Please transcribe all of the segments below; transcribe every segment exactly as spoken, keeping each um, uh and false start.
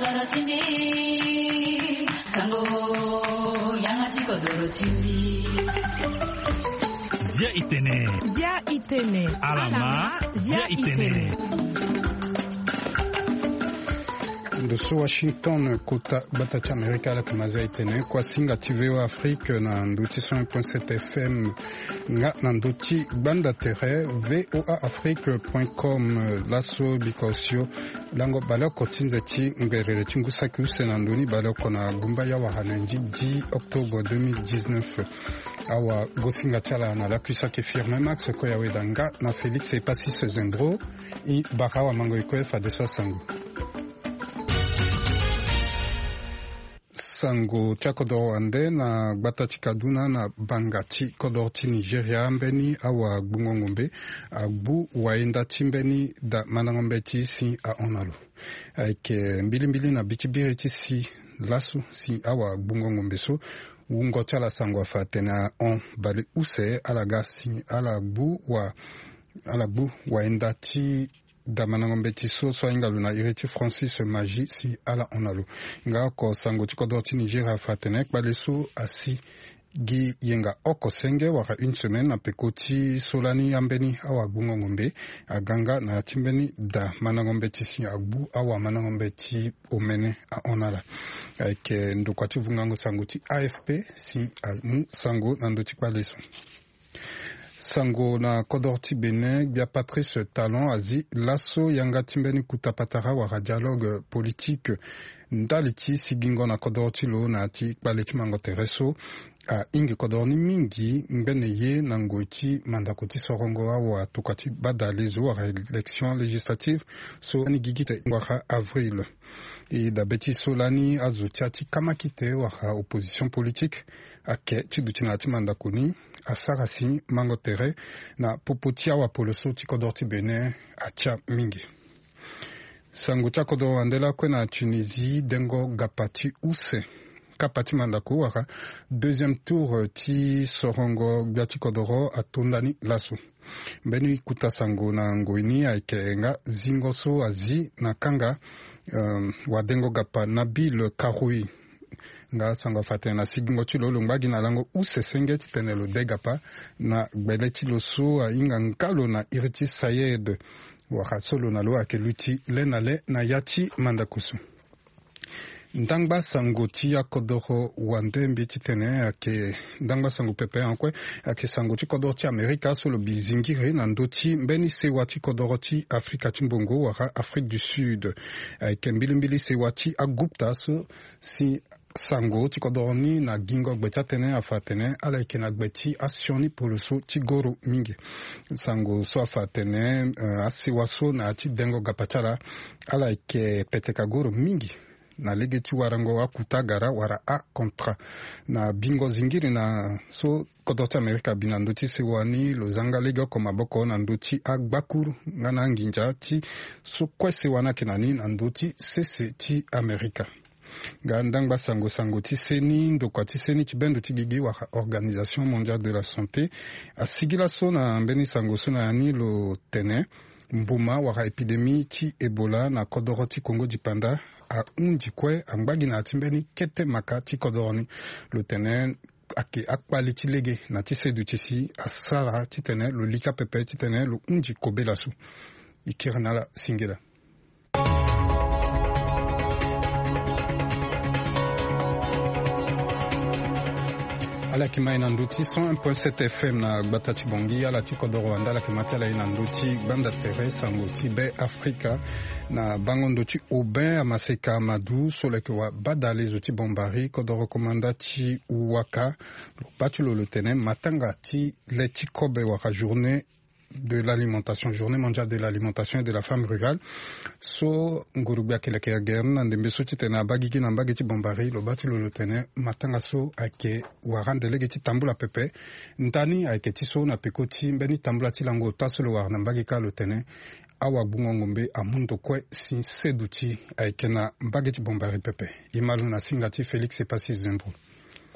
Zia itene. Zia itene. Alama, zia itene. Ndo so Washington, kota gbata ti Amerika, ala yeke ma zia itene. Kuasinga ti V O A Afrique na ndo ti cent un point sept F M. Nga na ndo ti gbanda tere V O A Afrique point com. Laso biko osio lango baleoko ti nze ti ngberere ti ngu saki use na ndo ni baleoko na gumba ya wara na ndi dix octobre deux mille dix-neuf. Awa gosinga ti ala na lakui saki Firmin Max Koyaweda nga na Félix Epasis Zembro. I bara awa mango e kue fadeso asango. Sango ti akodoro wande na gbata ti Kaduna na banga ti kodoro ti Nigeria, mbeni awagbungo ngombe agbu wayenda ti mbeni da mandango mbeti si ahon na lo. Ayeke mbilimbili na bi ti biri ti si laso si awagbungo ngombe so wungo ti ala sango afa atene ahon baleuse ala ga si ala gbu wa ala gbu wayenda ti da mandango mbeti so so ahinga lo na iri ti Francis Magie si ala hon na lo. Nga oko sango ti kodoro ti Nigeria afa atene kpale so asi gi yenga oko senge wala une semaine na peko ti so lani ambeni awagbungo ngombe aga nga na ya ti mbeni da mandango mbeti si agbu awamandango mbeti omene ahon na ala. Ayeke ndokua ti vungango sango ti A F P si amu sango na ndö ti kpale so. Sango na kodoro ti Bénin, gbia Patrice Talon azi laso yanga ti mbeni kuta patara wala dialogue politique ndali ti sigingo na kodoro ti lo na ya ti kpale ti mango tere so ahingi kodoro ni mingi ngbene ye na ngoi ti mandako ti sorongo awa tokua ti bada lezo wala élection législative so ani gigi te wala avril. E dabe ti so lani azo ti ya ti kamakite wala opposition politique ake ti duti na ya ti mandako ni asara si mango tere na popo ti awapoloso ti kodoro ti Bénin atia mingi. Sango ti akodoro wande lakue na Tunisie, dengo gapa ti use kapa ti mandako wala deuxième tour ti sorongo gbia ti kodoro atonda ni laso. Mbeni kuta sango na ngoi ni ayeke nga zingo so azi na kanga, um, wadengo gapa Nabil Karoui. Nga sango afa atene na sigingo ti lo lo ngba gi na lango use senge titene lo de gapa na gbele ti lo so ahinga nga lo na iri ti Sayed. Wala so lo na lo ayeke luti le na le na ya ti mandako so. Ndangba sango ti akodoro wande mbi titene ayeke ndangba sango pepe en kue. Ayeke sango ti kodoro ti Amerika so lo bi zingiri na ndö ti mbeni sewa ti kodoro ti Afrika ti mbongo wala Afrique du Sud. Ayeke mbilimbili sewa ti Agupta so si sango ti kodoro ni na gingo gbe ti atene afa atene ala yeke na gbe ti asioni poloso ti goro mingi. Sango so afa atene, eh, asewa so na ya ti dengo gapa ti ala ala yeke peteka goro mingi na lege ti warango akuta gara wala acontra na bingo zingiri na so kodro ti Amerika abi na ndö ti sewa ni lo zanga legeoko maboko na ndö ti agbakuru nga na anginza ti so kue sewa ni ayeke na ni na ndö ti sese ti Amerika. Nga ndangba sango sango ti seni ndokua ti seni ti bendo ti gigi wala Organisation Mondiale de la Santé asigi laso na mbeni sango so na ya ni lo tene mbuma wala épidémie ti Ebola na kodoro ti Congo dipanda ahundi kue angba gi na ya ti mbeni kete maka ti kodoro ni. Lo tene ayeke akpali ti lege na ti seduti si asara titene lo lika pepe titene lo hundi kobela so. E kiri na ala singila. Ala yeke ma e na ndö ti cent un point sept F M na gbata ti Bangui, ala ti kodoro wande ala yeke ma ti ala e na ndö ti gbanda tere sango ti Be Afrika. Na bango ndo ti Aubin Amaseka Amadou so lo yeke wa bada lezo ti Bombari, kodoro komanda ti Waka, lo baa ti lo lo tene matanga ti le ti kobe wala journée de l'alimentation, journée mondiale de l'alimentation et de la femme rurale. So ngurugbi ayeke leke gere ni na ndembe so titene abaa gigi na mbage ti Bombari, lo baa ti lo lo tene matanga so ayeke wara ande lege ti tambula pepe. Ndani ayeke ti so na peko ti mbeni tambula ti lango ota so lo wara na mbage kâ lo tene awagbungo ngombe amu ndo kue si seduti ayeke na mbage ti Bombari pepe. E ma lo na singa ti Félix Epassi Zembro.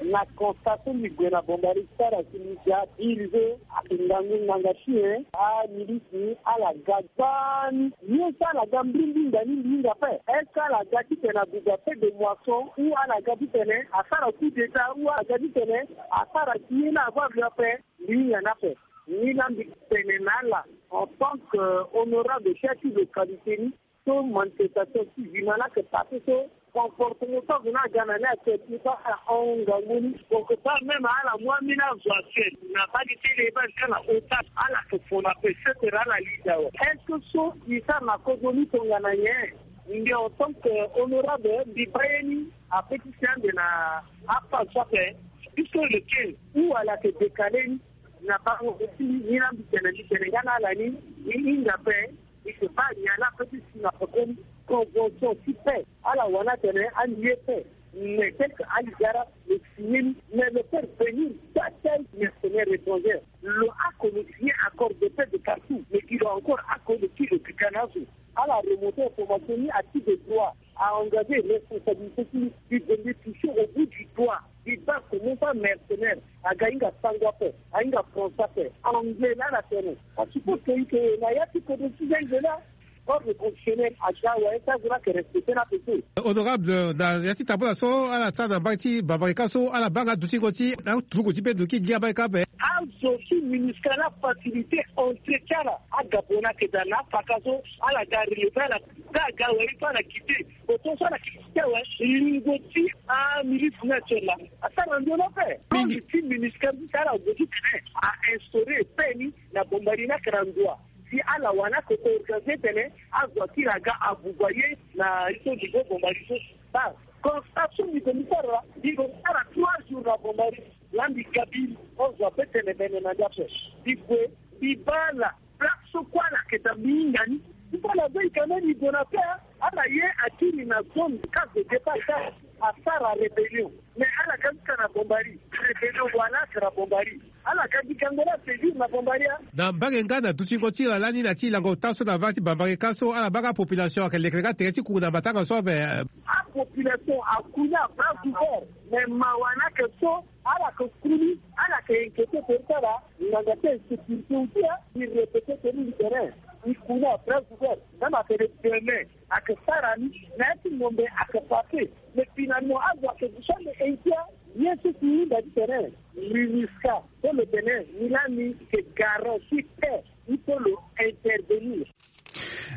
Na constat so mbi gue na Bombari ti sara si mbi ga biri so ayeke ngangu nganga ti nyen amilisi ni ala ga gbaa ni. Ye so ala ga mbrimbri nda ni mbi hinga ape. Est-ce que ala ga titene abuba feu de moisson ou ala ga titene asara coup d'état ou ala ga titene asara si ye ni avandre ape? Mbi hinga ni ape. Ni laa mbi tene na ala en tant que honorable chef ti localité ni, so manifestation ti Vimana ayeke passé so, comportement so azo ni aga na ni ayeke ti so ala hon ngangu ni. Quelque part même ala mu ambeni azo atel na baa ni tënë e baa ni ka na otage, ala yeke fo na pe setere ala lida awe. Est-ce que so e sara na kodro ni tongana nyen? Mbi en tant que honorable mbi baa ye ni ape ti si ande na aphase so ape, puisque le quinze ou ala yeke décalé ni na bango aussi. Ni laa mbi tene mbi tene nga na ala ni, ni hinga ape. I se baa nyen ala peut ti si na pekoni convention ti paix. Ala wani atene andi ye paix. Mais tel que ali ga la lo signé ni. Mais lo peut revenir, taa tel mercenaire étranger. Lo oko lo signé accord de paix de partout. Mais gi lo encore oko lo kiri lo pika na azo. Ala remonter information ni à titre de droit. A engager responsabilité ti li. Mbi gue mbi toucher au bout du doigt. Mbi baa comment ça mercenaire aga hinga sango ape, ahinga français ape, anglais laa ala tene. A suppose que i yeke na ya ti kodro ti zengbe laa. Ordre constitutionnel aga awe, so azo laa ayeke respecter ni ape te. Honorable, na ya ti tambula so ala sara na mbage ti Bambarika so, ala baa nga dutingo ti aturuku ti be duki gi abaa ika ape. Azo ti MINUSCA laa facilité entrée ti ala. Agabon ayeke daa na apaka so ala ga relever ala. Daa aga awe, il faut ala quitter. Oto so ala yeke quitter awe, lingo ti amilisi ni atiere laa asara na nzoni ape. Mingi. Ordre ti MINUSCA ti ala gue titene a instaurer paix ni na Bombari ni ayeke na ndo wa. Si ala wani ayeke organiser titene azo akiri aga abuba ye na ye so niveau Bombari so. Baa constat so mbi gue mbi sara laa, mbi gue mbi sara trois jours na Bombari. Laa mbi ga biri, azo ape tene bene na nda ape. Mbi gue mbi baa ala. Place so kue ala yeke daa mbi hinga ni. Ti so ala zo e ka même e gue na paix, ala ye akiri na zone case de départ ka asara rébellion. Mais ala ga jusqu'à na Bombari. Rébellion wala ayeke na Bombari. Ala ga gi gango laa asaisir na Bombari a. Na mbage nga na dutingo ti ala lani na ti lango ota so na va ti Bambarika so, ala baa nga population ayeke lekere nga tere ti kungu na matanga so ape. Apopulation akuni à bras ouvert. Mais mawa ni ayeke so, ala yeke kuli, ala yeke inquiéter tere ti ala. Ngbanga ti insécurité aussi, hein. Mbi répéter tene mbi tene, mbi kuni à bras ouvert. Même atene demain ayeke sara ni na ya ti ngombe ayeke passé. Mais finalement azo ayeke duti ande inquiet. Ye so si hinga titene MINUSCA so lo tene ni laa ni yeke garant ti paix, il faut lo intervenir.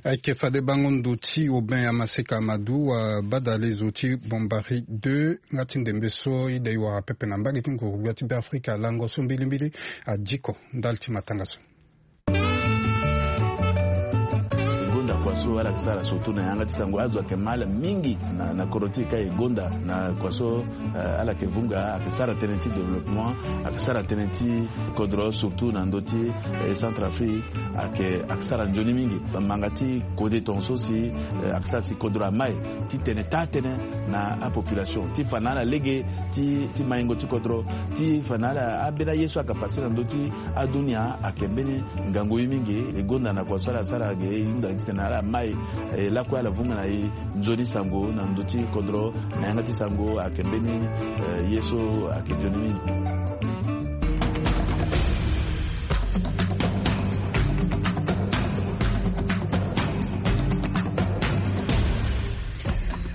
Ayeke fade bango ndo ti Aubin Amaseka Amadou, abadale zo ti Bombari deux, nga ti ndembe so ida e wara pepe na mbage ti nguru-gbia ti Beafrika. Lango so mbilimbili adiko ndali ti matanga so. E gonda kua so ala yeke sara surtout na yanga ti sango, azo ayeke mal mingi na, na kodro ti e ka e gonda na kua so, eh, ala yeke vunga, ayeke sara tënë ti développement, ayeke sara tënë ti kodro surtout na ndö ti, eh, Centrafrique, ayeke, ayeke sara nzoni mingi. Manga ti kode tongaso si, eh, ayeke sara si kodro amai ti tene taa tënë na apopulation ti fa na ala lege ti, ti maingo ti kodro, ti fa na ala ambeni aye so ayeke passé na ndö ti adunia ayeke mbeni ngangu ye mingi. E gonda na kua so ala sara ge e hunda titene ala mai, eh, lakue ala vunga na e nzoni sango na ndö ti kodro na yanga ti sango ayeke mbeni, eh, ye so ayeke nzoni mingi.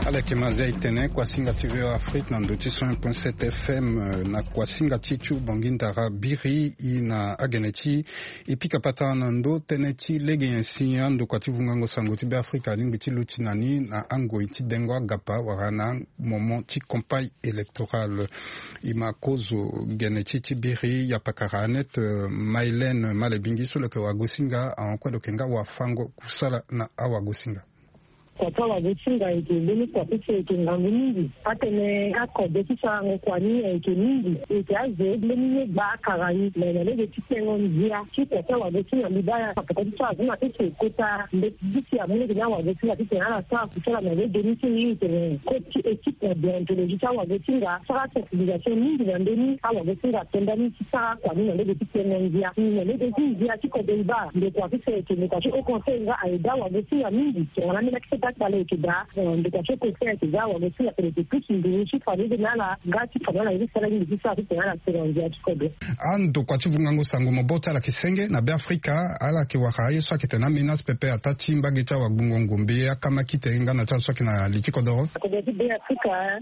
Ala yeke ma zia e tene kuasinga ti V O A Afrique na ndö ti cent un point sept F M, eh, na kuasinga ti Tchou Bangui Ndara Biri, e na agene ti e pika patara na ndö tënë ti lege nyen si andokua ti vungango sango ti Beafrika alingbi ti luti na ni na angoi ti dengo agapa wala na moment ti campagne électorale. E ma kozo gene ti e ti biri, yapakara Annette, eh, Maïlène Malebingi so lo yeke wagosinga ahon kue lo yeke nga wafango kusala na awagosinga. Kua ti awagosinga ayeke mbeni kua ti so ayeke ngangu mingi. Atene akode ti sarango kua ni ayeke mingi. E yeke azo mbeni ye gba akara ni. Me na lege ti tengo ndia ti kua ti awagosinga mbi baa ya peko ti so azo na ti so e kota mbeti ti si amu lege ni awagosinga titene ala sara kusala na lege ni so e iri tene kode ti équipe na déontologie ti awagosinga asara sensibilisation mingi na mbeni awagosinga atonda ni ti sara kua ni na lege ti tengo ndia. Ni na lege ti ndia ti kode e baa ndokua ti so ayeke ndokua ti haut conseil nga aye daa awagosinga mingi tongana ambeni akete Takpale eke daa. Ndokua ti oko so ayeke za awagosinga atene eke pusu nduru ti fa lege na ala nga ti fa na ala ye ti sara mingi ti sara ti tene ala sere na ndia ti kodro. Andokua ti vungango sango maboko ti ala yeke senge na Beafrika. Ala yeke wara aye so ayeke tene amenace pepe ataa ti mbage ti awagbongo ngombe, akamakite nga na ti ala so ayeke na li ti kodoro. Kodro ti Beafrika,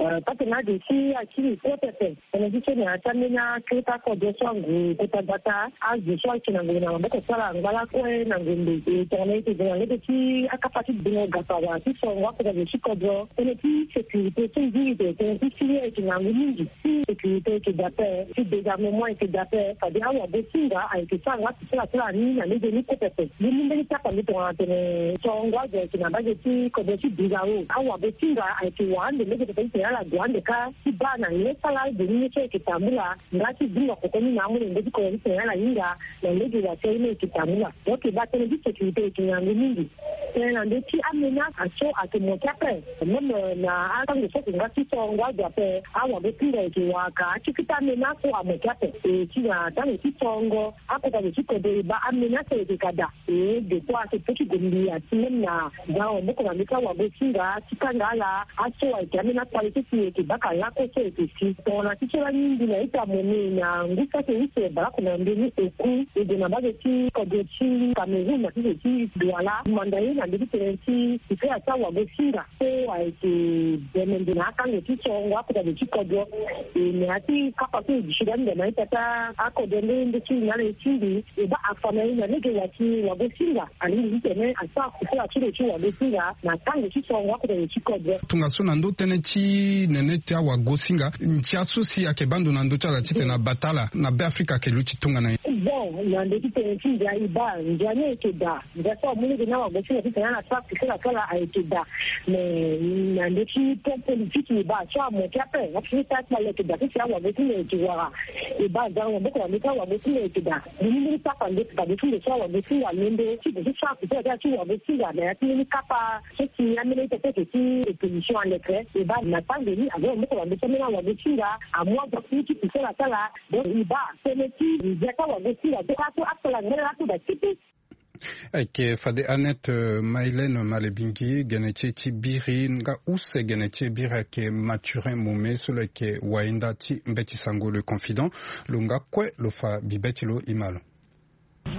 eh, patene ade ti akiri kue pepe. Tënë ti so na ya ti ambeni akiri ti akodro so angu kota gbata, azo so ayeke na ngombe na maboko ti ala angba lakue na ngombe. E tongana e yeke gue na lege ti akapa ti gbingo gapa wala ti sorongo akota zo ti kodro. Tënë ti sécurité ti ndiri te, tënë ti fini ayeke ngangu mingi. Ti sécurité ayeke daa ape, ti désarmement ayeke daa ape, fade awagosinga ayeke sara nga ti sara sara ni na lege ni kue pepe. Ni mbeni tapande tongana tene sorongo azo ayeke na mbage ti kodro ti Birao. Awagosinga ayeke wara ande lege pepe ti tene ala gue ande kâ ti baa na nyen sala ade ni nyen so ayeke tambula. Nga ti dunga koko ni na amolenge ti kodro ti tene ala hinga na lege wa ti aye ni ayeke tambula. Donc e baa tënë ti sécurité ayeke ngangu mingi. Tënë na ndö ti amenace so ayeke moke ape. Même, euh, na atango so ayeke nga ti sorongo azo ape, awagosinga ayeke wara ka akeketa amenace so amoke ape. E ti na tango ti sorongo akota zo ti kodro e baa amenace ayeke ka daa. E depuis ayeke pe ti gue mbi ati même na za maboko na ndö ti awagosinga ti kanga ala aso ayeke ambeni akpale so si e yeke baka lakue so e yeke si. Tongana ti so lani mbi na ita mone na ngu saki use baleoko na ndö ni oku e gue na mbage ti kodro ti Cameroun na ti zo ti Douala. Manda ye na ndö ti tënë ti sifere ti awagosinga so ayeke bemende na atango ti sorongo akota zo ti kodro. E na ya ti kapa so e duti lani ndo na ita ti akodro nde nde ti na ala e tingbi. E baa afa na e na lege wa ti wagosinga. Alingbi ti tene asara kusala ti lo ti wagosinga na tango ti sorongo akota zo ti kodro. Tongaso na ndö tënë ti nene ti awagosinga, ndia so si ayeke baa ndo na ndö ti ala titene abata ala na Beafrika ayeke luti tongana nyen? Bon, na ndö ti tënë ti ndia e baa ndia ni ayeke daa. Ndia so amu lege na awagosinga titene ala sara kusala ti ala ayeke daa. Mais na ndö ti plan politique e baa so amoke ape. Ape ti sara ti ala ayeke daa ti si awagosinga ayeke wara. E baa za maboko na ndö ti awagosinga ayeke daa. Ni mbeni kapa nde fade ti ndo so awagosinga alondo ti gue ti sara kusala ti ala ti wagosinga na ya ti mbeni kapa so si ambeni ita ti ayeke ti opposition aleke. E baa na tango ni aza maboko na ndö ti ambeni awagosinga amu azo ti kusala ti ala. Donc e baa tënë ti ndia ti awagosinga so ato asala ngana ato daa ti ti. Ayeke fade Annette, euh, Maïlène Malebingi, gene ti e ti biri, nga use gene ti e biri ayeke Mathurin Mome, so lo yeke wayenda ti mbeti sango Le Confident. Lo nga kue lo fa bibe ti lo, e ma lo.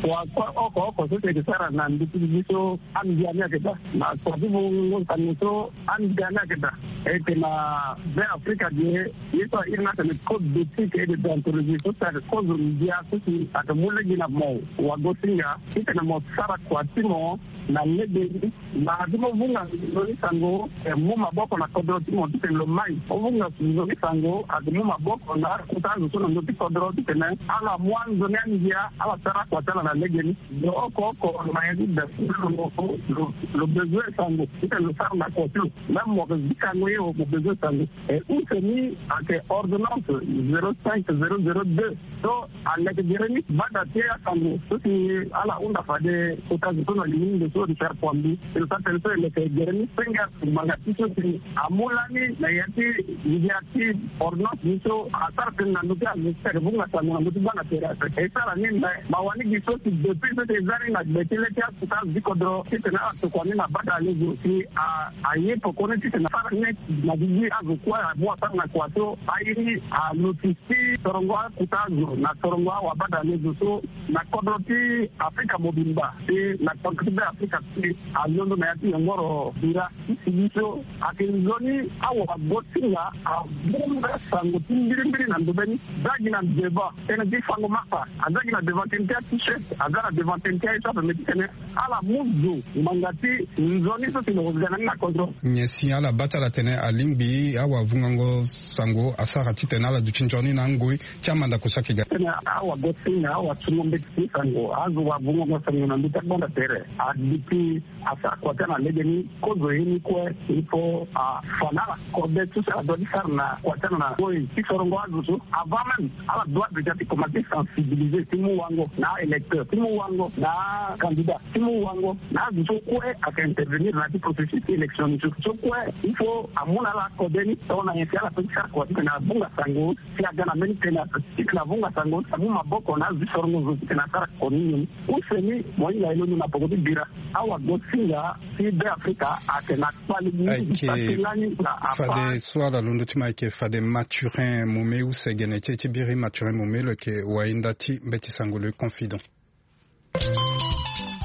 Wa kue oko oko so si ayeke sara na ndö ti bibi so andia ni ayeke daa. Na kua ti vungo sango so andia ni ayeke daa. E yeke na Beafrika ge. Ye so a iri ni atene code d'éthique et de déontologie so si ayeke kozo ndia so si ayeke mu lege na mo wagosinga titene mo sara kua ti mo na lege ni. Mbanga ti mo vunga nzoni sango, eh, mu maboko na kodro ti mo titene lo mai. Mo vunga nzoni sango ayeke mu maboko na akota azo so na ndö ti kodro titene ala mu anzoni andia, ala sara akua ti ala na lege ni. Lo oko oko lo ma ya ti da lo, lo, lo bezoin sango titene lo sara na kua ti lo. Même mo yeke zikango ye, mo bezoin sango. E use ni ayeke ordonnance zéro cinq zéro zéro deux. So aleke gere ni gbanda ti asango so si ala hunda fade kota zo so na lingomba so Richard Kouambi. E lo sara tënë so e leke gere ni senge asango ngbanga ti so si amu lani na ya ti ndia ti ordonnance ni so asara tënë na ndö ti azo so si ayeke vunga sango na ndö ti gbanda tere ape. E sara ni me mawa ni gi so si depuis so si e za ni na gbe ti le ti akota azo ti kodro titene ala tokua ni na bata alezo si a, aye poko ni titene asara ni na gigi azo kue amu asara na kua so aye ni aluti ti sorongo akota azo na sorongo awabadalezo so na kodro ti Afrika mobimba si na kodro ti Beafrika si alondo na ya ti yongoro bira ti sigi so ayeke nzoni awagosinga abunga sango ti mbirimbiri na ndobeni. Aza gi na devant tënë ti fango mapa, aza gi na devant tënë ti a t-shirt, aza na devant tënë ti aye so ape me titene ala mu zo ngbanga ti nzoni so si lo ga na ni na kodro. Nyen si ala baa ti ala tene alingbi awavungango sango asara titene ala duti nzoni na angoi ti amandako so ayeke ga? Tene awagosinga, awasungo mbeti ti sango, azo wavungango sango na ndö ti agbanda tere aduti asara kua ti ala na lege ni. Kozo ye ni kue il faut afa na ala kode so si ala doit ti sara na kua ti ala na ngoi ti sorongo azo so. Avant même ala doit déjà ti commencer sensibiliser ti mu wango na a-électeur, ti mu wango na a-candidat, ti mu wango na azo so kue ayeke intervenir na ya ti processus ti élection ni so. So kue il faut amu na ala kode ni tongana nyen si ala peut ti sara kua titene avunga sango si aga na mbeni tënë ape titene avunga sango si amu maboko na azo ti sorongo zo titene asara koni ni. Use ni mo hinga e londo na poko ti bira. Awa gosinga ti Be Afrika ayeke na kpale mingi. Ayeke fade so ala londo ti ma ayeke fade Mathurin Mome use gene ti e ti biri. Mathurin Mome lo yeke wainda ti mbeti sango le confident.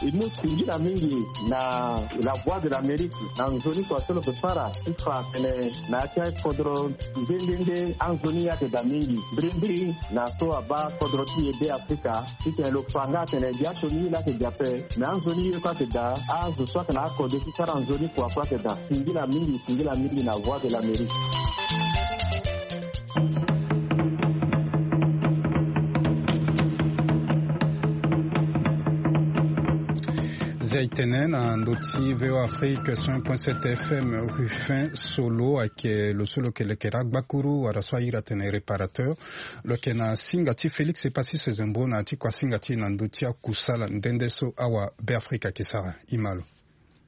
E mu singila mingi na La Voix de l'Amérique na nzoni kua so lo yeke sara ti fa atene na ya ti akodro nde nde nde anzoni ye ayeke daa mingi mbirimbiri na so abaa kodro ti e Be Afrika. Titene lo fa nga atene gi asioni ye laa ayeke gi ape. Me anzoni ye kue ayeke daa. Azo so ayeke na akode ti sara nzoni kua kue ayeke daa. Singila mingi, singila mingi na Voix de l'Amérique. Zia e tene na ndö ti V O A Afrique cent point sept F M, Rufin Solo ayeke lo so lo yeke lekere agbakuru wala so a iri atene réparateur. Lo yeke na singa ti Félix Epassi Sezembo na ya ti kua singa ti e na ndö ti akusala nde nde so awa Be Afrika ayeke sara. E ma lo.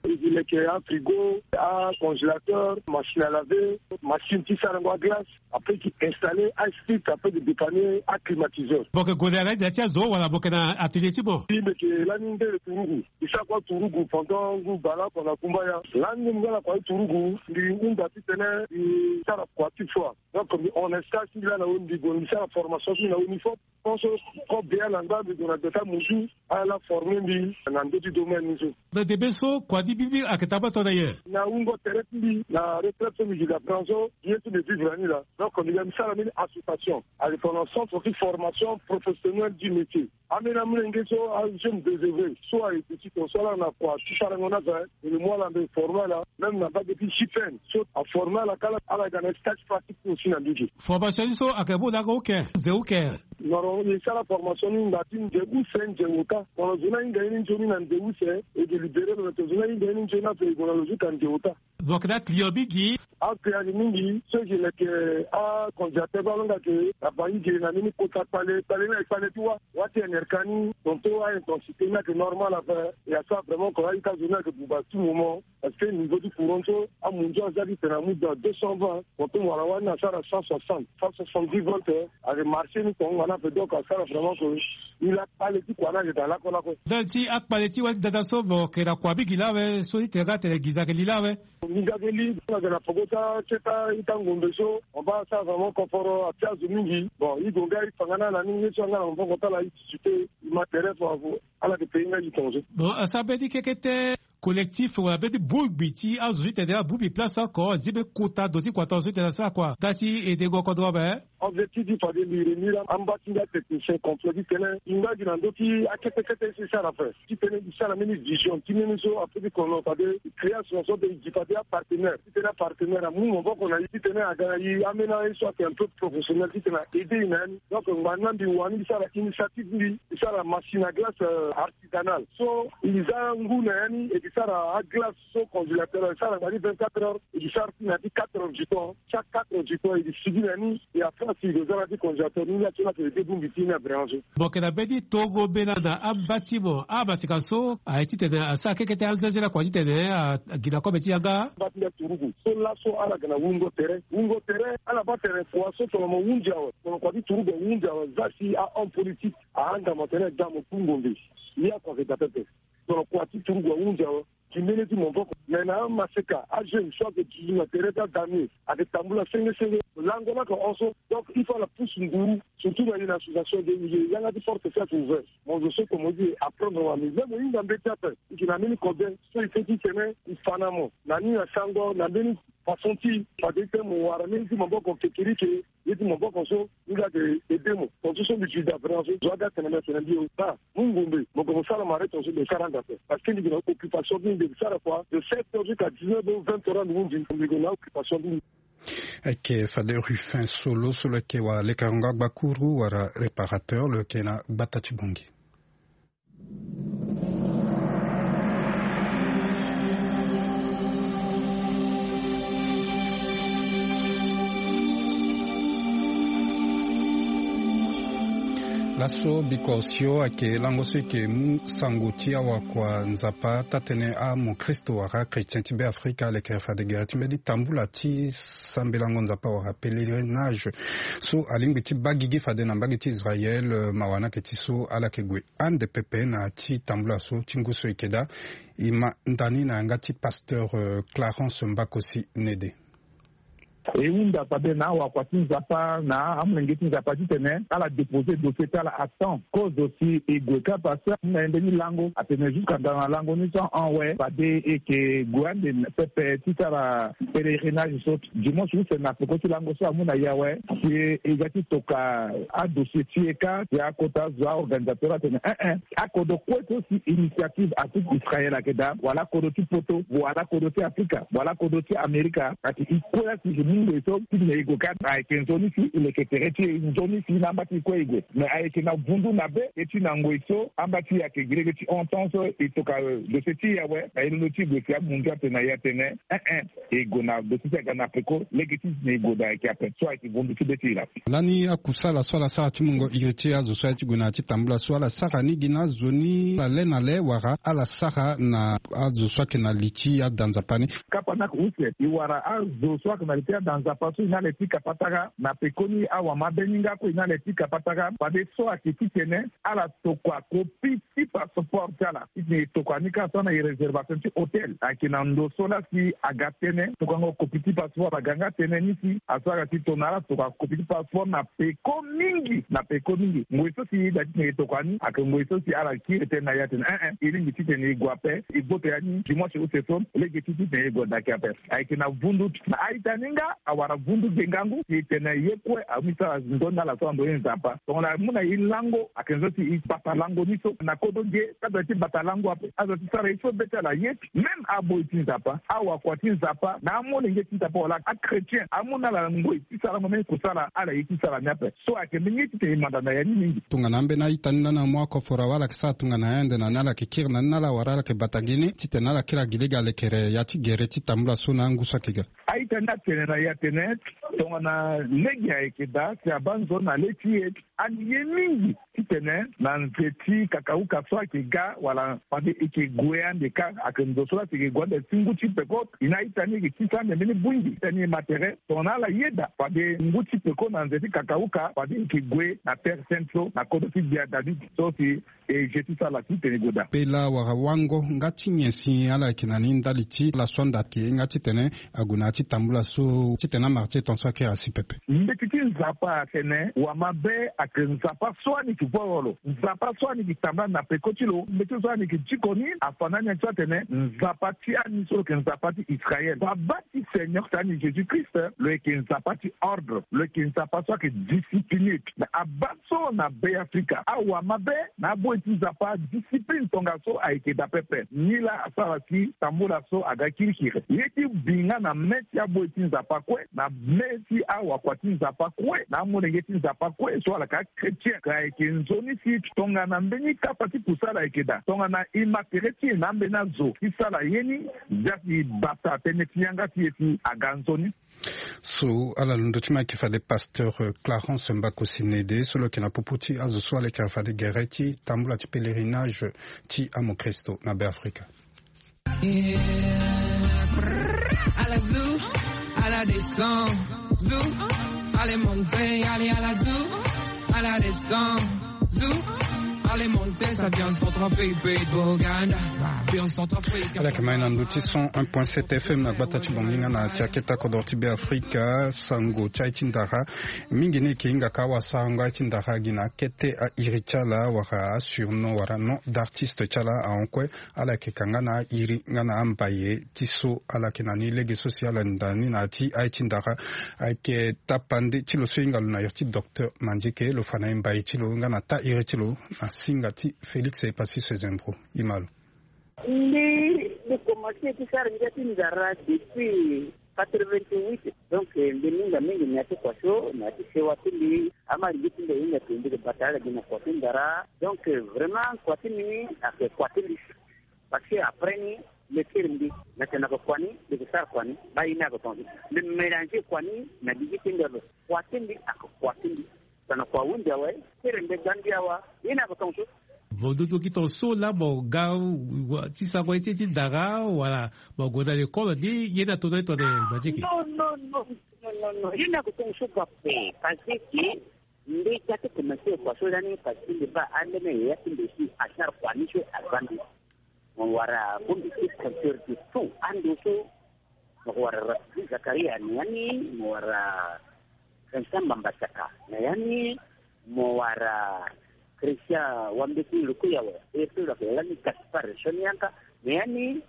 E gi leke afrigo, acongélateur, machine à laver, machine ti sarango aglace. Après, e gi installer asplit, après e gi dépanner aclimatiseur. Mo yeke gue na ya ti azo wala mo yeke na atelier ti mo? Mbi yeke lani ndele turugu. Mbi sara kua turugu pendant ngu baleoko na kumbaya. Lani ngu mbi nga na kua ti turugu, mbi hunda titene mbi sara kua ti foi. Donc mbi hon na stage ti mbi laa na weni, mbi gue mbi sara formation ti mbi na weni fop. Pense kobela na ngba mbi gue na gbeta muzu ala forme mbi na ndö ti domaine ni so. Na debe so kua ni bibi ayeke tabâ tongana nyen? Na wungo tere ti mbi na retraite so mbi gi na branche so ye so mbi vivre na ni laa. Donc mbi ga mbi sara mbeni association ayeke tongana centre ti formation professionnelle du métier. Ambeni amolenge so ajeune désœuvré so aye ti ton so ala na kua ti sarango ni aza. Mbi mu ala mbi forme ala même na mbage ti J P N so aforme ala kâ ala ga na stage pratique aussi na mbage. Formation ni so ayeke mu na yanga uke, nze uke? Noro e sara formation ni nda ti nze use nze ota. Tongana zo ni ahinga ye ni nzoni na nze use e ke libéré lo na tongana zo ni ahinga ye ni nzoni ape e gue na lo zo ka nze ota. Mo yeke na aclient mingi? Aclient ayeke mingi. So e ke leke acongélateur baa alonga ke na bangi ge na mbeni kota kpale kpale ni ayeke kpale ti wâ. Wâ ti N R K ni tongaso a-intensité ni ayeke normal ape. E asara vraiment ko a-ita zo ni ayeke buba tout moment. Parce que niveau ti courant so amunzu aza ti tene amu dans deux cent vingt, tongaso wala wâ ni asara cent soixante, cent soixante-dix volts. Ayeke marché ni tonga na ape donc asara vraiment ko. Ni laa kpale ti kua ni ayeke daa lakue lakue. Ndali ti akpale ti wâ ti dada so mo yeke na kua mingi laa awe so ti tene nga atene gi za ayeke li laa awe? Nginza ayeke li. Ayeke na poko ti aketa ita ngombe so on baa asara vraiment koforo atia zo mingi. Bon e gue nga e fa nga na ala ni ye so anga na maboko ti ala e discuter e ma tere fo. Ala yeke payé nga e tongaso. Bon asara mbeni kekete collectif wala mbeni bongbi ti azo ti tene abongbi place oko azi mbeni kota ndo ti kua tongaso ti tene asara kua nga ti edengo kodro ape. Objectif ti fade mbi reni laa amba ti nga technicien complet ti tene e nga gi na ndö ti akete kete so e sara ape. Ti tene e sara mbeni vision ti mbeni so ape ti kono fade e création so mbi gi fade apartenaire ti tene apartenaire amu maboko na e ti tene aga na e ambeni aye so ayeke un peu professionnel ti tene a aider e na ya ni. Donc ngbani laa mbi wani mbi sara initiative mbi mbi sara machine à glace artisanale so e za ngu na ya ni e ke sara aglace so congélateur e sara ngbani vingt-quatre heures e ke sara ti na ya ti quatre heures du temps. Chaque quatre heures du temps e ke sigi na ya ni. E après si e ke za na ya ti congélateur ni laa so laa ayeke aider bongbi ti ni na vraiment so. Mo yeke na mbeni tongo mbela na amba ti mo amaseka so aye ti tene asara kekete anzazela kua ti tene agi na kobe ti yanga. Amba ti nga turugu so laso ala ga na wungo tere wungo tere ala baa tere kua so tongana mo hunzi awe tongana kua ti turugu ahunzi awe za si ahon politique ahanga mo tene da mo tu ngombe. Ye akua ayeke da pepe. Tongana kua ti turugu ahunzi awe gi mbeni ti maboko me na amaseka ajeune so ayeke duzu na tere ti adamie ayeke tambula senge senge. Lango laa ayeke hon so donc il faut ala pousse nguru. Surtout na ye na association de ye yanga ti porte ti ayeke ouvert. Mo zo so tomo ti e apprendre wa mais même mo hinga mbeti ape e ke na mbeni kode so e feti tene e fa na mo na ni na sango na mbeni façon ti fade ti tene mo wara mbeni ti maboko kekerike. Ye ti maboko so ni laa ayeke aide mo tongaso so mbi gi da vraiment so zo aga tene mbi atene mbi e baa mu ngombe mo gue mo sara mare tongaso mbi e sara anda ape. Parce que mbi gi na occupation ti mbi mbi e sara kua de sept heures jusqu'à dix-neuf heures vingt heures ande hunzi mbi gue na occupation ti mbi. Ayeke fade Rufin Solo so lo yeke wara lekerengo agbakuru wala réparateur lo yeke na gbata ti Bangui. Laso biko osio ayeke lango so e yeke mu sango ti awakua Nzapa taa-tënë amokristo wala chrétien ti Beafrika alekere fade gere ti mbeni tambula ti sambelango Nzapa wala pèlerinage so alingbi ti baa gigi fade na mbage ti Israël, eh, mawa ni ayeke ti so ala yeke gue ande pepe na ya ti tambula so ti ngu so e yeke daa. E ma nda ni na yanga ti pasteur, eh, Clarence Mbakosi Nede. E hunda fade na awakua ti Nzapa na amolenge ti Nzapa titene ala dépose dossier ti ala à temps. Kozo si e gue kâ parce que amu na e mbeni lango atene jusqu'à nda na lango ni so ahon awe fade e yeke gue ande pepe ti sara pèlerinage so. Dimanche use na peko ti lango so amu na e awe si e ga ti toka adossier ti e kâ si akota zo aorganisateur atene eh eh, akodro kue so si initiative Afrique Israël ayeke daa, wala akodro ti poto, wala akodro ti Afrika, wala akodro ti Amerika, ati e kue laa si e mu ngoi so titene e gue kâ. Ayeke nzoni si e leke tere ti e, nzoni si na amba ti e kue e gue. Mais ayeke na vundu na be e ti na ngoi so amba ti e ayeke gi lege ti hon temps so e toka, eh, dossier ti e awe na e londo ti e gue si amu ngia atene na e atene eh eh, e gue na dossier ti aga na peko lege ti titene e gue daa ayeke ape. So ayeke vundu ti be ti e laa. Lani akusala so ala sara ti mungo iri ti azo so aye ti gue na ya ti tambula so ala sara ni gi na azo ni ala le na le wala ala sara na azo so ayeke na li ti ada Nzapa ni? Kapa ni ayeke use e wara azo so ayeke na li ti ada Nzapa so e na le ti kapa taka na pekoni awamabe ni nga kue e na le ti kapa taka fade so ayeke titene ala tokua kopi ti passeport ti ala. Titene e tokua ni kâ so na e réservation ti hôtel ayeke na ndo so laa si aga tënë tokuango kopi ti passeport aga nga tënë ni si asara ti tona ala tokua kopi ti passeport na peko mingi, na peko mingi. Ngoi so si e da titene e tokua ni ayeke ngoi so si ala kiri tënë na e atene eh eh, e lingbi titene e gue ape, e gboto ya ni dimanche use so lege ti titene e gue daki ape. Ayeke na vundu na a-ita ni nga awara vundu ge ngangu si e tene ye kue amu e sara nzoni na ala so ando ye Nzapa. Tongana amu na e lango ayeke nzoni si e bata lango ni so na kodro ge, azo ti bata lango ape, azo ti sara ye so be ti ala ye. Même aboi ti Nzapa, awakua ti Nzapa na amolenge ti Nzapa wala achrétien amu na ala ngoi ti sarango mbeni kusala ala ye ti sara ni ape. So ayeke mbeni ye titene e manda na ya ni mingi. Tongana ambeni a-ita ni lani amu akoforo awe ala yeke sara tongana yande na ni ala yeke kiri na ni na ala wala ala yeke bata gi ni titene ala kiri agi lege alekere ya ti gere ti tambula so na angu so ayeke ga. A-ita ni atene na e atene tongana lege ayeke daa si abaa nzoni na le ti e, ani ye mingi titene na nze ti kakauka so ayeke ga wala fade e yeke gue ande kâ, ayeke ndo so laa si e yeke gue ande ti ngu ti peko. E na a-ita ni e yeke tisa ande mbeni bui ngi titene e ma tere tongana ala yeda fade ngu ti peko na nze ti kakauka fade e yeke gue na terre sainte so na kodro ti gbia David so si e je ti sara titene e gue daa. Pela wala wango nga ti nyen si ala yeke na ni ndali ti laso anda ayeke nga titene ague na ya ti tambula so titene amara ti e tongaso akiri asi pepe? Mbeti ti Nzapa atene wamabe ayeke Nzapa so ani yeke voro lo, Nzapa so ani yeke tambula na peko ti lo, mbeti so ani yeke diko ni afa na ani so atene Nzapa ti ani so lo yeke Nzapa ti Israël. Baba ti Seigneur ti ani Jésus-Christ lo yeke Nzapa ti ordre, lo yeke Nzapa so ayeke discipline. Mais abaa so na Beafrika awamabe na aboi ti Nzapa discipline tongaso ayeke daa pepe. Ni laa asara si tambula so aga kirikiri ye ti bi nga na me ti aboi ti Nzapa kue, na me ti awakua ti Nzapa kue, na amolenge ti Nzapa kue so ala yeke achrétien. Ka ayeke nzoni si tongana mbeni kapa ti kusala ayeke daa, tongana e ma tere ti e na ambeni azo ti sara ye ni, zia si e bata tënë ti yanga ti e si aga nzoni. So ala londo ti ma ayeke fade pasteur, euh, Clarence Mbakosi Nede so lo yeke na popo ti azo so alekere fade gere ti tambula ti pèlerinage ti amokristo na Beafrika. Ala zu, ala descend, zu, allez monter, allez à la zu, ala descend, zu, allez monter, ça vient centrafrique, pays de Bouganda, vient centrafrique. Ala yeke ma e na ndö ti cent un point sept F M na gbata ti Bangui nga na ti akete kodro ti Beafrika. Sango ti aye ti ndara mingi ni e yeke hinga ka awasarango aye ti ndara gi na akete a-iri ti ala wala asurnom wala nom d'artiste ti ala ahon kue. Ala yeke ka nga na a-iri nga na ambaye ti so ala yeke na ni lege so si ala nda ni na ya ti aye ti ndara. Ayeke tapande ti lo so e hinga lo na iri ti docteur Mandieke, lo fa na e mbaye ti lo nga na taa iri ti lo na singa ti Félix Epassi Sezembro. E ma lo. Mbi, mbi komanse ti sara ngia ti ndara depuis quatre-vingt-huit. Donc, eh, mbi minga mingi na ya ti kua so, na ya ti sewa ti mbi, amolenge ti mbi ahinga tonga mbi yeke bata ala gi na kua ti ndara. Donc, eh, vraiment, kua ti mbi ni ayeke kua ti mbi. Parce que après ni, mbi kiri mbi, mbi yeke na yeke kua ni, mbi yeke sara kua ni, baa ye ni ayeke tongaso. Mbi mélanger kua ni na gigi ti mbi ape. Kua ti mbi ayeke kua ti mbi. Tongana kua ahunzi awe, tere mbe gbangbi awa, ye ni ako tonga so. Mo duduki tonga so laa mo ga ti sango ye ti ye ti ndara wala mo gue na lekolo ni, ye ni atono ye tongana Manzeke. Non, non, non, non, non, non. Ye ni ako tonga so bua pe, parce que mbe ga ti commencer kua so lani, parce que mbe baa ambeni yaya ti mbe si asara kua ni so aza mbi. Mo wara bongbi ti compteur de tout ando so. Mo wara Rafiki Zakaria na ya ni, mo wara Vincent Mambasaka na ya ni, mo wara Christian Wambeti Lukuyawe, e so lo yeke lani Gaspard Sonianka na ya ni,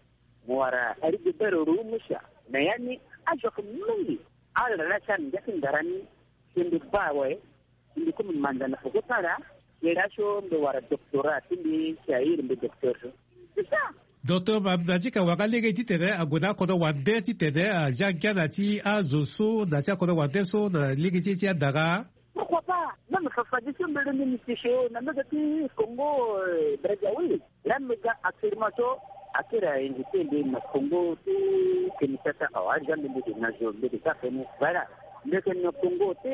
mo wara Rigobert Rumusa na ya ni. Azo ayeke mingi. Ala laa si ala na ngia ti ndara ni, si mbi baa awe, si mbi komi manza na poko ti ala, si laso mbi wara doctorat ti mbi, si airi mbi docteur so. C'est ça. Docteur Ma-, Manzeke awara lege titene ague na akodro wande titene azia ngia na ti azo so, na ti akodro wande so, na lege ti e ti andara. Pourquoi pas? Même Fafa Diso mbele ni mbi ti so na mbege ti Congo, euh, Brazzaville. Laa mbi ga actuellement so, akiri a invité mbi na Congo ti Kinshasa. Awa, aza mbi mbi ke na zo, mbi ke ka feni. Voilà. Mbi ke na Congo ti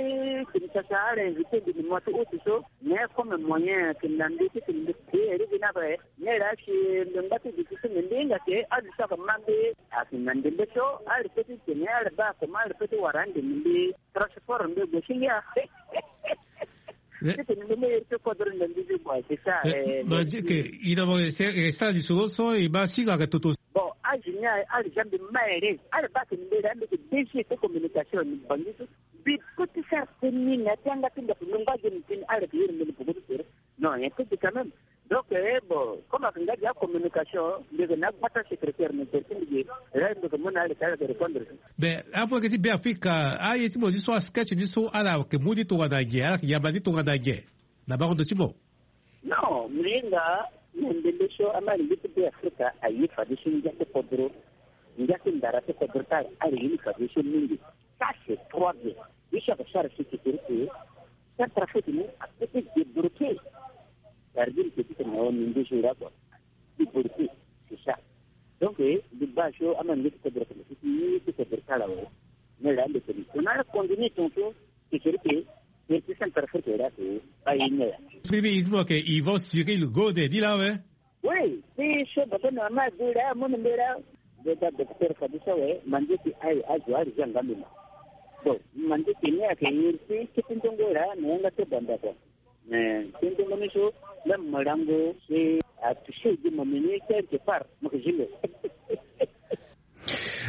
Kinshasa, ala invité mbi na mois ti août so. Mais comme moyen ke na mbi ti ke mbi ke eri gi na be. Mais laa si mbi ngba ti zi ti so mbi hinga ke, azo so ake ma mbi. Ake na ndembe so, ala peut ti tene, ala baa comment ala peut ti wara ande mbi. Transport mbi gue si ngia. Eh. Titene mbi me iri ti kodro na mbi ti bua, c'est ça, eh, eh, Manzeke, ina mo, c'est, eh, ça, lisoro so, e ma singa ke toto. Bon, azo ni, ala za mbi ma ere, ala baa ke mbi laa mbi ke D G ti communication ni Bangui so. Mbi peut ti sara teni na ti yanga ti ndaku, mbi ngba ge mbi teni, ala ke iri mbi ni poko ti tere. Non, un peu quand même. Donc, eh, bon, comme ake nga gi acommunication, mbi yeke na agbata secrétaire, mbi yeke ti mbi ge, eh, mbi yeke mu na ala ti ala yeke répondre. Mais afa yeke ti Beafrika, aye ti mo ni so, asketch ni so, ala yeke mu ni tongana nyen, ala yeke yamba ni tongana nyen na bango ndo ti mo? Non, mbi hinga na ndembe so, ama alingbi ti Beafrika aye fadeso ngia ti kodro, ngia ti ndara ti kodro ti ala, ala ye ni fadeso mingi. Ça, c'est trop bien. Ye so ake sara si ti kiri ti Centrafrique ni apeut ti débloquer. Cest à dire que ti tene na O N U nduzu nga kua. Débloquer, c'est ça. Donc, eh, mbi baa so ama nge ti kodro tene si ti, ti kodro ti ala awe. Mais là, mbi tene. On a continué ton tour. C'est sûr que, eh, ti Centrafrique là, c'est pas une heure. Siriri, il dit que Yvon Cyril Gode, dit là, ouais. Oui, ti so baba na mama adu laa, amu na mbi laa. Mbi ga docteur fadeso awe, Manzeke aye azo ala zia nga mbi ma. Bon, Manzeke ni ayeke iri ti kete ndongo laa na yanga ti banda kua. Mais kete ndongo ni so, même mo lango si atouché gi mo ni quelque part, mo yeke zi lo.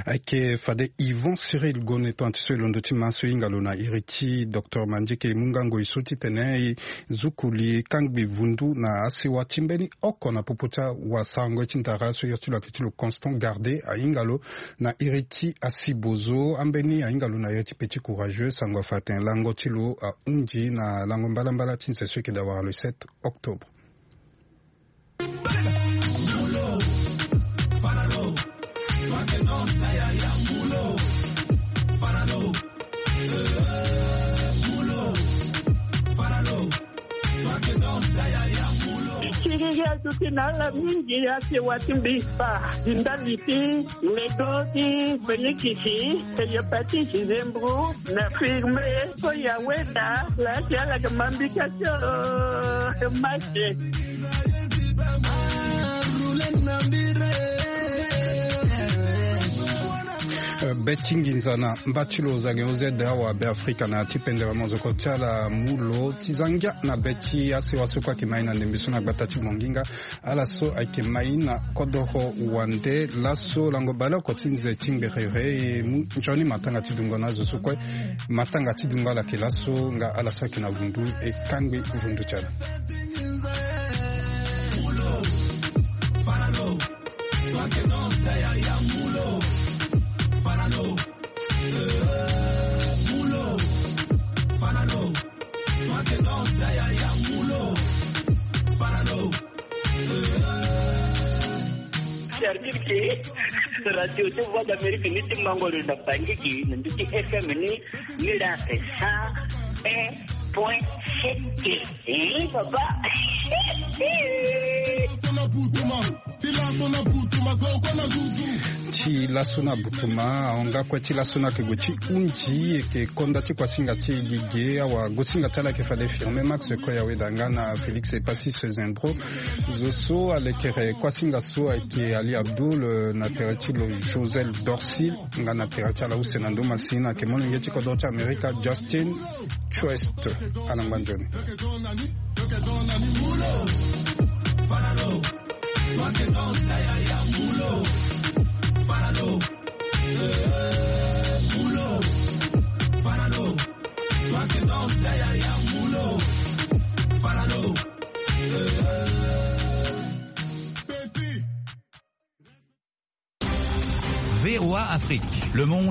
Ayeke fade Yvon Cyril Gode, tongana ti so e londo ti ma so e hinga lo na iri ti docteur Manzeke, e mu nga ngoi so titene e zuku li kangbi vundu na asewa ti mbeni oko na popo ti awasarango ye ti ndara so, iri ti lo ayeke ti lo Constant Gardé, ahinga lo na iri ti asibozo ambeni, ahinga lo na iri ti Petit Courageux, sango afa atene lango ti lo ahunzi na lango mbalambala ti nze so e yeke daa wara le sept octobre. Ti ngia duti na ala mingi, asewa ti mbi fa ndali ti Ledo ti Fenikisi, hépatite, zembro, na firme, so ya weda, la ti ala ke mambika tio, e mache. Eh, be ti nginza na mba ti lo Zagen O Z awa Beafrika na ya ti pendere mozoko ti ala mu lo ti za ngia na be ti asewa so kue ayeke mai na ndembe so na gbata ti Bonginga. Ala so ayeke mai na kodoro wande laso lango baleoko ti nze ti ngberere, e mu nzoni matanga ti dungo na azo so kue. Matanga ti dungo ala yeke laso nga ala so ayeke na vundu e kangbi vundu ti ala. C'est-à-dire que radio ti Voix d'Amérique ni ti mango lo na Bangui gi na ndö ti F M ni, ni la c'est cent un point sept. Eh, papa. Ti laso na butuma, ahon nga kue ti laso ni ayeke gue ti hunzi eke konda ti kuasinga ti e gi ge. Awa gosinga ti ala ayeke fade firme Max Koyawe da nga na Félix Epasis Zembro. Zo so alekere kuasinga so ayeke Ali Abdoul, eh, na tere ti lo Josel Dorsil, nga na tere ti ala use na ndo masina ayeke molenge ti kodro ti Amerika Justin Quest. Ala ngba nzoni. V O A Afrique, le monde.